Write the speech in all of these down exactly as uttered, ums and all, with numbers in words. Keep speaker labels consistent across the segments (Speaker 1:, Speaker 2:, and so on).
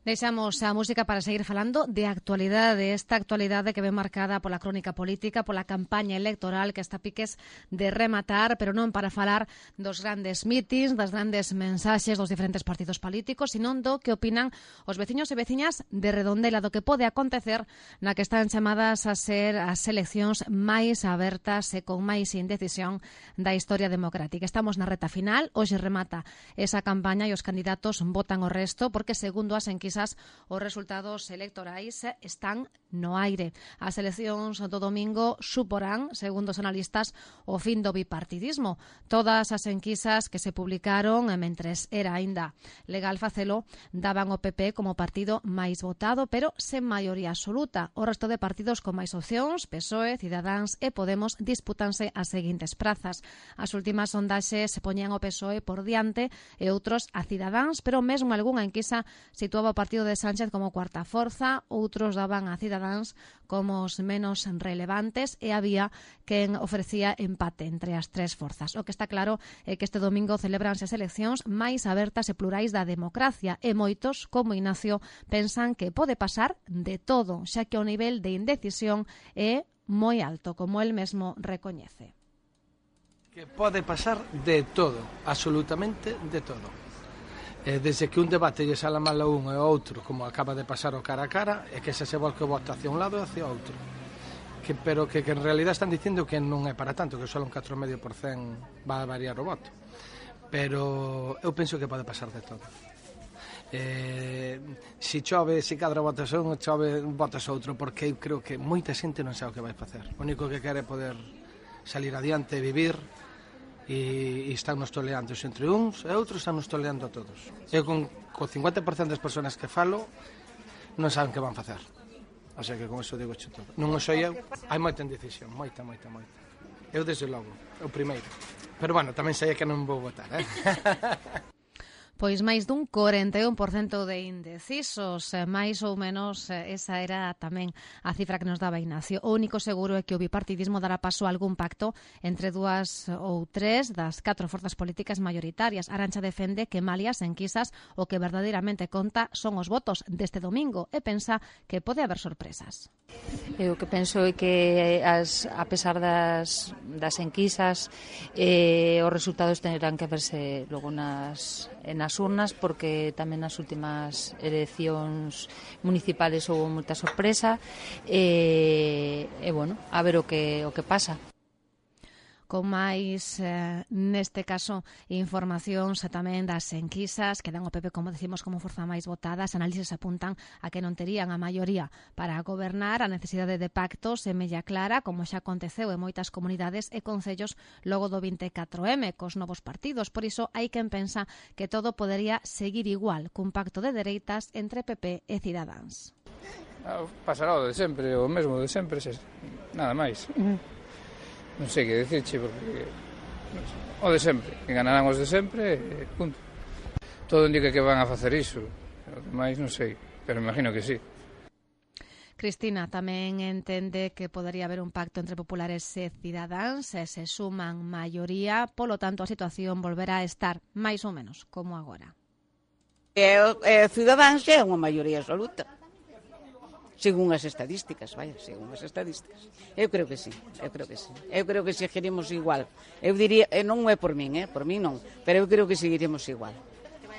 Speaker 1: Deixamos a música para seguir falando de actualidade, esta actualidade que ve marcada pola crónica política, pola campaña electoral que está a piques de rematar, pero non para falar dos grandes mítins, das grandes mensaxes dos diferentes partidos políticos, sino do que opinan os veciños e veciñas de Redondela, do que pode acontecer na que están chamadas a ser as eleccións máis abertas e con máis indecisión da historia democrática. Estamos na reta final, hoxe remata esa campaña e os candidatos votan o resto, porque segundo as enquisas os resultados electorais están no aire. As eleccións do domingo suporán, segundo os analistas, o fin do bipartidismo. Todas as enquisas que se publicaron mentres era aínda legal facelo daban o P P como partido máis votado, pero sen maioría absoluta. O resto de partidos con máis opcións, P S O E, Cidadáns e Podemos, disputanse as seguintes prazas. As últimas sondaxes se poñían o P S O E por diante e outros a Cidadáns, pero mesmo algunha enquisa situaba o partido de Sánchez como cuarta forza, outros daban a Cidadáns como os menos relevantes e había quen ofrecía empate entre as tres forzas. O que está claro é que este domingo celebranse as eleccións máis abertas e plurais da democracia e moitos, como Ignacio, pensan que pode pasar de todo, xa que o nivel de indecisión é moi alto, como el mesmo recoñece.
Speaker 2: Que pode pasar de todo, absolutamente de todo. Desde que un debate lle sala mal a un e ao outro, como acaba de pasar o cara a cara, é que se se volque o voto hacia un lado e hacia outro. Que, pero que, que en realidad están dicindo que non é para tanto, que só un catro vírgula cinco por cento va a variar o voto. Pero eu penso que pode pasar de todo. Eh, si chove, si cadra votas un, chove, votas outro, porque eu creo que moita xente non sabe o que vai facer. O único que quere é poder salir adiante, vivir, e, e están nos toleando entre uns e outros, están nos toleando a todos. Eu con, con cincuenta por cento das persoas que falo non saben que van facer, o sea que con eso digo cho todo. Non o sei eu, hai moita indecisión, moita, moita, moita. Eu desde logo, o primeiro, pero bueno, tamén sei que non vou votar, eh?
Speaker 1: Pois máis dun corenta e un por cento de indecisos, máis ou menos esa era tamén a cifra que nos daba Ignacio. O único seguro é que o bipartidismo dará paso a algún pacto entre dúas ou tres das catro forzas políticas maioritarias. Arantxa defende que malias enquisas o que verdadeiramente conta son os votos deste domingo e pensa que pode haber sorpresas.
Speaker 3: Eu que penso é que as, a pesar das, das enquisas eh, os resultados terán que verse logo nas, nas urnas, porque tamén nas últimas eleccións municipales houve moita sorpresa e, e bueno, a ver o que, o que pasa.
Speaker 1: Con máis, eh, neste caso, informacións tamén das enquisas que dan o P P, como decimos, como forza máis votada. As análises apuntan a que non terían a maioría para gobernar. A necesidade de pactos é mella clara, como xa aconteceu en moitas comunidades e concellos logo do vinte e catro eme, cos novos partidos. Por iso, hai quen pensa que todo podería seguir igual, cun pacto de dereitas entre P P e Cidadáns.
Speaker 4: Pasará o de sempre, o mesmo de sempre, nada máis. Non sei que dicirche, porque o de sempre, que ganarán os de sempre, punto. Todo indica que van a facer iso, o demais non sei, pero imagino que sí.
Speaker 1: Cristina tamén entende que podería haber un pacto entre populares e Cidadáns, e se suman maioría, polo tanto a situación volverá a estar máis ou menos como agora.
Speaker 5: E, e Cidadáns é unha maioría absoluta. Según as estadísticas, vaya, según as estadísticas. Eu creo que sí, eu creo que sí. Eu creo que seguiremos igual. Eu diría, non é por min, eh, por min non, pero eu creo que seguiremos igual.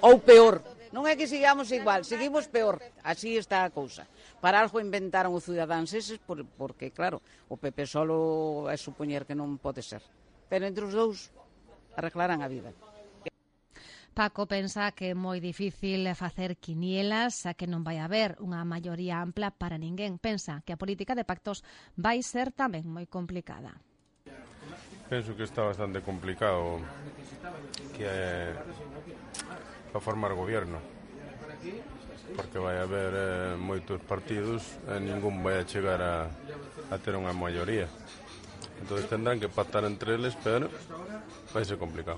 Speaker 5: Ou peor, non é que sigamos igual, seguimos peor. Así está a cousa. Para algo inventaron os Cidadáns eses, por, porque, claro, o P P solo é supoñer que non pode ser. Pero entre os dous arreglarán a vida.
Speaker 1: Paco pensa que é moi difícil facer quinielas, a que non vai haber unha maioría ampla para ninguén. Pensa que a política de pactos vai ser tamén moi complicada.
Speaker 6: Penso que está bastante complicado que é para formar gobierno, porque vai haber eh, moitos partidos e ningún vai a chegar a, a ter unha maioría. Entón tendrán que pactar entre eles, pero vai ser complicado.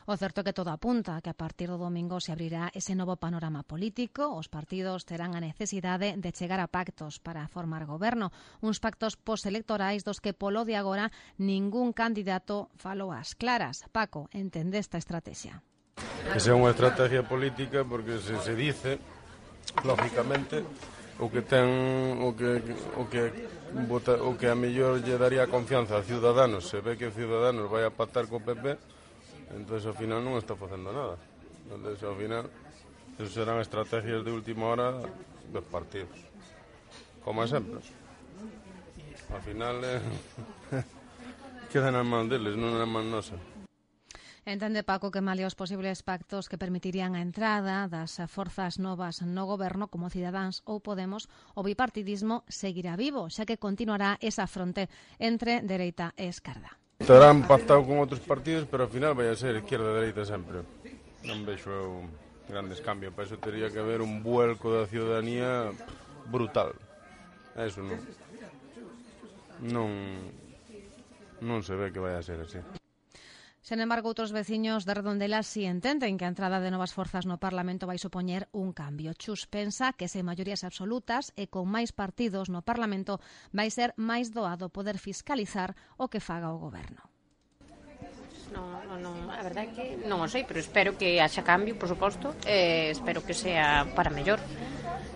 Speaker 1: O certo é que todo apunta que a partir do domingo se abrirá ese novo panorama político. Os partidos terán a necesidade de chegar a pactos para formar goberno. Uns pactos postelectorais dos que polo de agora ningún candidato falou ás claras. Paco, entende esta estrategia?
Speaker 6: Esa é unha estrategia política porque se se dice lógicamente, o que ten o que o que vota, o que a mellor lle daría confianza a Ciudadanos, se ve que Ciudadanos vai a pactar co P P, entonces ao final non está facendo nada. Entonces ao final eso serán estrategias de última hora dos partidos, como sempre. Ao final eh, quedan nas mans deles, non nas mans nosas.
Speaker 1: Entende Paco que malia os posibles pactos que permitirían a entrada das forzas novas no goberno como Cidadáns ou Podemos, o bipartidismo seguirá vivo, xa que continuará esa fronte entre dereita e esquerda.
Speaker 6: Estarán pactado con outros partidos, pero ao final vai a ser izquierda e dereita sempre. Non vexo eu grandes cambios, para iso teria que haber un vuelco da ciudadanía brutal. Eso non. Non, non se ve que vai a ser así.
Speaker 1: Sen embargo, outros veciños de Redondela si entenden que a entrada de novas forzas no Parlamento vai supoñer un cambio. Chus pensa que sen maiorías absolutas e con máis partidos no Parlamento vai ser máis doado poder fiscalizar o que faga o goberno.
Speaker 7: Non, non, non, a verdade é que non o sei, pero espero que haxa cambio, por suposto, e espero que sea para mellor.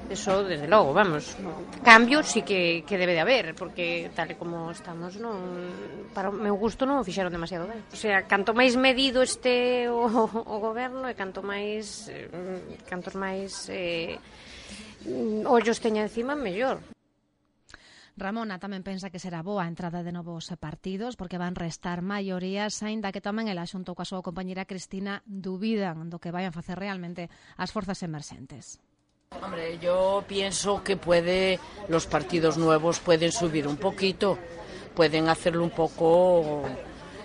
Speaker 7: Eso, desde logo, vamos. Cambio sí que, que debe de haber, porque tal e como estamos, non, para o meu gusto non o fixeron demasiado ben. O sea, canto máis medido este o, o goberno e canto máis eh, cantos máis eh, ollos teña encima, mellor.
Speaker 1: Ramona tamén pensa que será boa a entrada de novos partidos porque van restar maiorías, aínda que tamén ela xunto coa súa compañera Cristina dubidan do que vayan facer realmente as forzas emerxentes.
Speaker 8: Hombre, yo pienso que puede, los partidos nuevos pueden subir un poquito, pueden hacerle un poco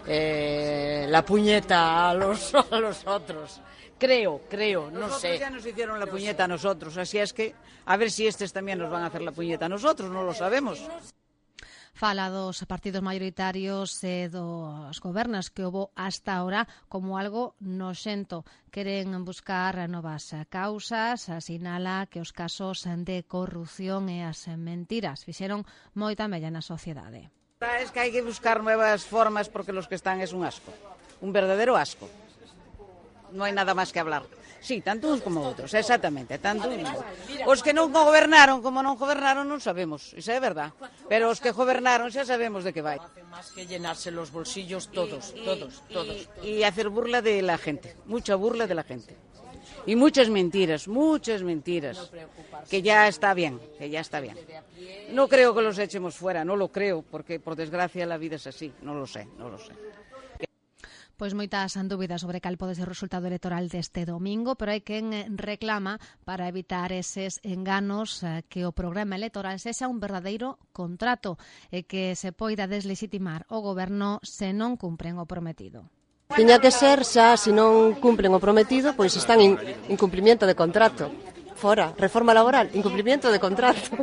Speaker 8: eh, la puñeta a los, a los otros. Creo, creo, no
Speaker 5: nosotros
Speaker 8: sé.
Speaker 5: Ya nos hicieron la puñeta a nosotros, así es que a ver si estos también nos van a hacer la puñeta a nosotros, no lo sabemos.
Speaker 1: Fala dos partidos maioritarios e dos gobernos que houbo hasta ahora como algo noxento. Queren buscar novas causas, sinala que os casos de corrupción e as mentiras fixeron moita mella na sociedade.
Speaker 5: Es que hai que buscar nuevas formas porque los que están es un asco, un verdadero asco. No hai nada máis que hablar. Sí, tanto uns como outros, exactamente, tanto uns. Os que non gobernaron, como non gobernaron, non sabemos, iso é verdad. Pero os que gobernaron xa sabemos de que vai.
Speaker 8: Hacen más que llenarse los bolsillos todos, y, todos,
Speaker 5: y,
Speaker 8: todos.
Speaker 5: Y, y hacer burla de la gente, mucha burla de la gente. Y muchas mentiras, muchas mentiras. Que ya está bien, que ya está bien. No creo que los echemos fuera, no lo creo, porque por desgracia la vida es así, no lo sé, no lo sé.
Speaker 1: Pois moitas dúbidas sobre cal pode ser o resultado electoral deste domingo, pero hai quen reclama para evitar eses enganos que o programa electoral sexa un verdadeiro contrato e que se poida deslegitimar o goberno se non cumpren o prometido.
Speaker 9: Tiña que ser xa, se non cumplen o prometido, pois están en incumplimiento de contrato. Fora, reforma laboral, incumplimiento de contrato.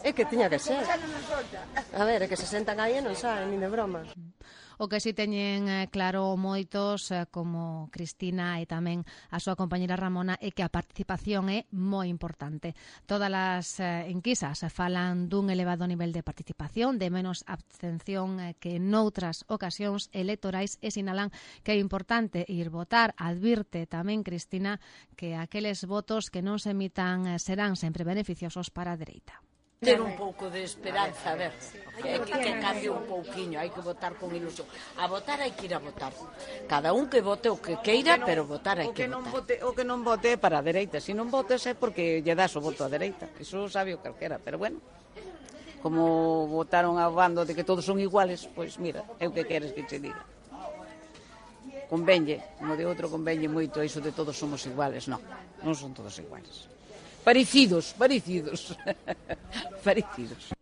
Speaker 9: É que tiña que ser. A ver, é que se sentan aí e non saben, nin de broma.
Speaker 1: O que si teñen claro moitos, como Cristina e tamén a súa compañera Ramona, é que a participación é moi importante. Todas as enquisas falan dun elevado nivel de participación, de menos abstención que noutras ocasións electorais e sinalan que é importante ir votar. Advirte tamén Cristina que aqueles votos que non se emitan serán sempre beneficiosos para a dereita.
Speaker 8: Ter un pouco de esperanza, a ver, que, que, que cambie un pouquiño, hai que votar con ilusión. A votar hai que ir a votar. Cada un que vote o que queira, pero votar hai que,
Speaker 5: que non
Speaker 8: votar.
Speaker 5: Vote, o que non vote para a dereita, se non votes é porque lle das o voto á dereita. Iso sabe o calquera, pero bueno, como votaron a bando de que todos son iguales, pois mira, é o que queres que che diga. Convenlle, como de outro convenlle moito iso de todos somos iguales, non, non son todos iguales. Parecidos, parecidos, parecidos.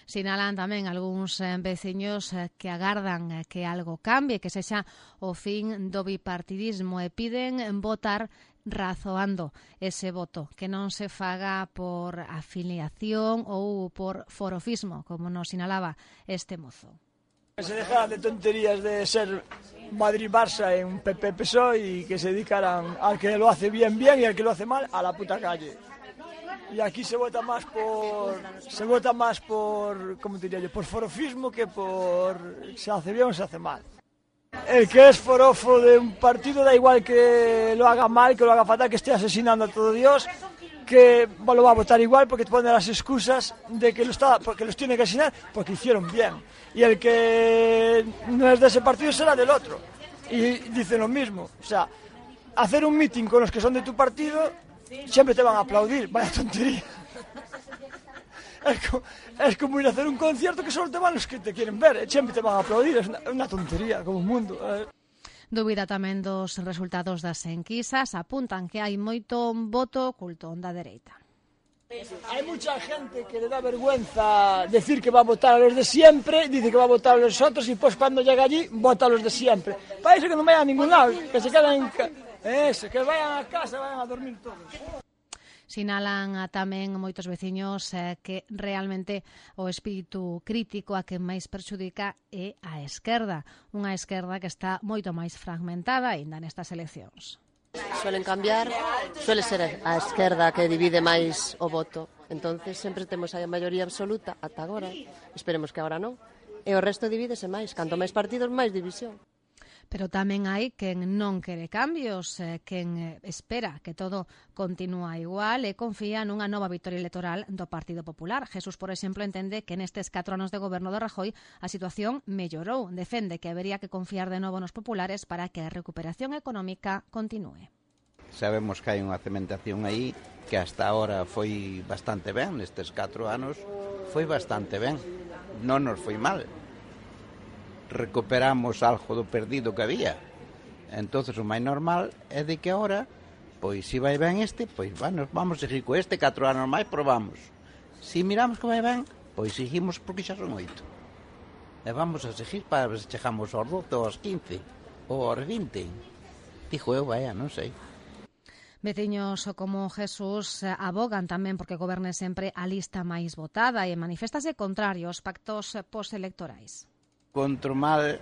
Speaker 1: Sinalan tamén algúns veciños que agardan que algo cambie, que sexa o fin do bipartidismo e piden votar razoando ese voto, que non se faga por afiliación ou por forofismo, como nos sinalaba este mozo.
Speaker 10: Que se dejaran de tonterías de ser Madrid-Barça en P P P S O E y que se dedicaran al que lo hace bien bien y al que lo hace mal a la puta calle. Y aquí se vota más por se vota más por, ¿cómo diría yo? Por forofismo que por se hace bien o se hace mal. El que es forofo de un partido da igual que lo haga mal, que lo haga fatal, que esté asesinando a todo Dios, que lo va a votar igual porque te ponen las excusas de que lo está, porque los tiene que asignar porque hicieron bien. Y el que no es de ese partido será del otro. Y dicen lo mismo. O sea, hacer un meeting con los que son de tu partido, siempre te van a aplaudir. Vaya tontería. Es como, es como ir a hacer un concierto que solo te van los que te quieren ver. Siempre te van a aplaudir. Es una, una tontería, como un mundo. Eh.
Speaker 1: Dúbida tamén dos resultados das enquisas, apuntan que hai moito voto oculto da dereita.
Speaker 10: Hay mucha gente que le da vergüenza decir que va a votar a los de siempre, dice que va a votar a los otros y pues cuando llega allí vota a los de siempre. Para eso que no vayan a ningún lado, que se queden en ca... eso, que vayan a casa, vayan a dormir todos.
Speaker 1: Sinalan a tamén moitos veciños eh, que realmente o espírito crítico a que máis perxudica é a esquerda, unha esquerda que está moito máis fragmentada aínda nestas eleccións.
Speaker 9: Suelen cambiar, suele ser a esquerda que divide máis o voto, entonces sempre temos a maioría absoluta ata agora, esperemos que agora non, e o resto divídese máis, canto máis partidos máis división.
Speaker 1: Pero tamén hai quen non quere cambios, eh, quen espera que todo continúa igual e confía nunha nova vitoria electoral do Partido Popular. Jesús, por exemplo, entende que nestes catro anos de goberno de Rajoy a situación mellorou. Defende que habería que confiar de novo nos populares para que a recuperación económica continúe.
Speaker 11: Sabemos que hai unha cementación aí que hasta ahora foi bastante ben, nestes catro anos foi bastante ben, non nos foi mal. Recuperamos algo do perdido que había. Entonces o máis normal é de que agora, pois se vai ben este, pois bueno, vamos a seguir co este, catro anos máis probamos. Se miramos que vai ben, pois seguimos porque xa son oito. E vamos a seguir para ver se chegamos aos doce, aos quince, ou aos vinte. Dixo eu, vaya, non sei.
Speaker 1: Veciños como Jesús abogan tamén porque goberne sempre a lista máis votada e maniféstase contrario aos pactos postelectorais.
Speaker 11: Encontro mal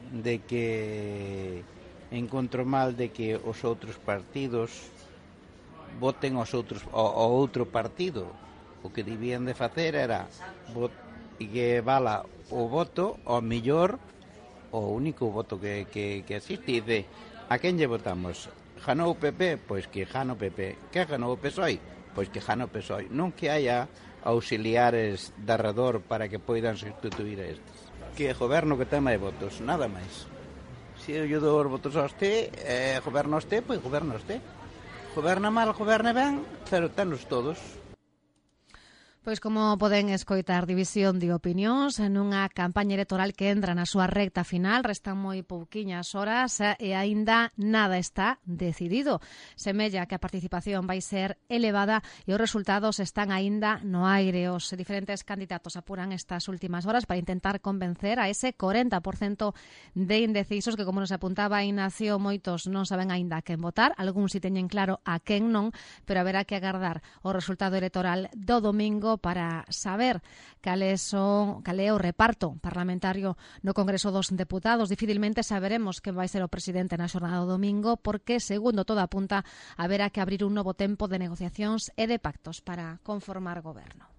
Speaker 11: de que encontro mal de que os outros partidos voten os outros o, o outro partido. O que debían de facer era vot, que vala o voto ao mellor o único voto que, que, que existe. Dice, a quen lle votamos? Ganou o P P? Pois que gano o P P. Que ganou o P S O E? Pois que gano o P S O E. Non que haya auxiliares de arredor para que poidan sustituir a estes. Que goberno que ten máis votos, nada máis. Se eu dou os votos a este, eh, goberno a este, pois goberno a este. Goberna mal, goberna ben, pero tenos todos.
Speaker 1: Pois como poden escoitar, división de opinións nunha campaña electoral que entra na súa recta final, restan moi pouquiñas horas e aínda nada está decidido. Semella que a participación vai ser elevada e os resultados están aínda no aire. Os diferentes candidatos apuran estas últimas horas para intentar convencer a ese corenta por cento de indecisos que, como nos apuntaba Ignacio, moitos non saben aínda a quen votar, algúns si teñen claro a quen non, pero haberá que agardar o resultado electoral do domingo para saber cales son, cal é o reparto parlamentario no Congreso dos Deputados. Dificilmente saberemos quen vai ser o presidente na xornada do domingo porque, segundo todo apunta, haberá que abrir un novo tempo de negociacións e de pactos para conformar goberno.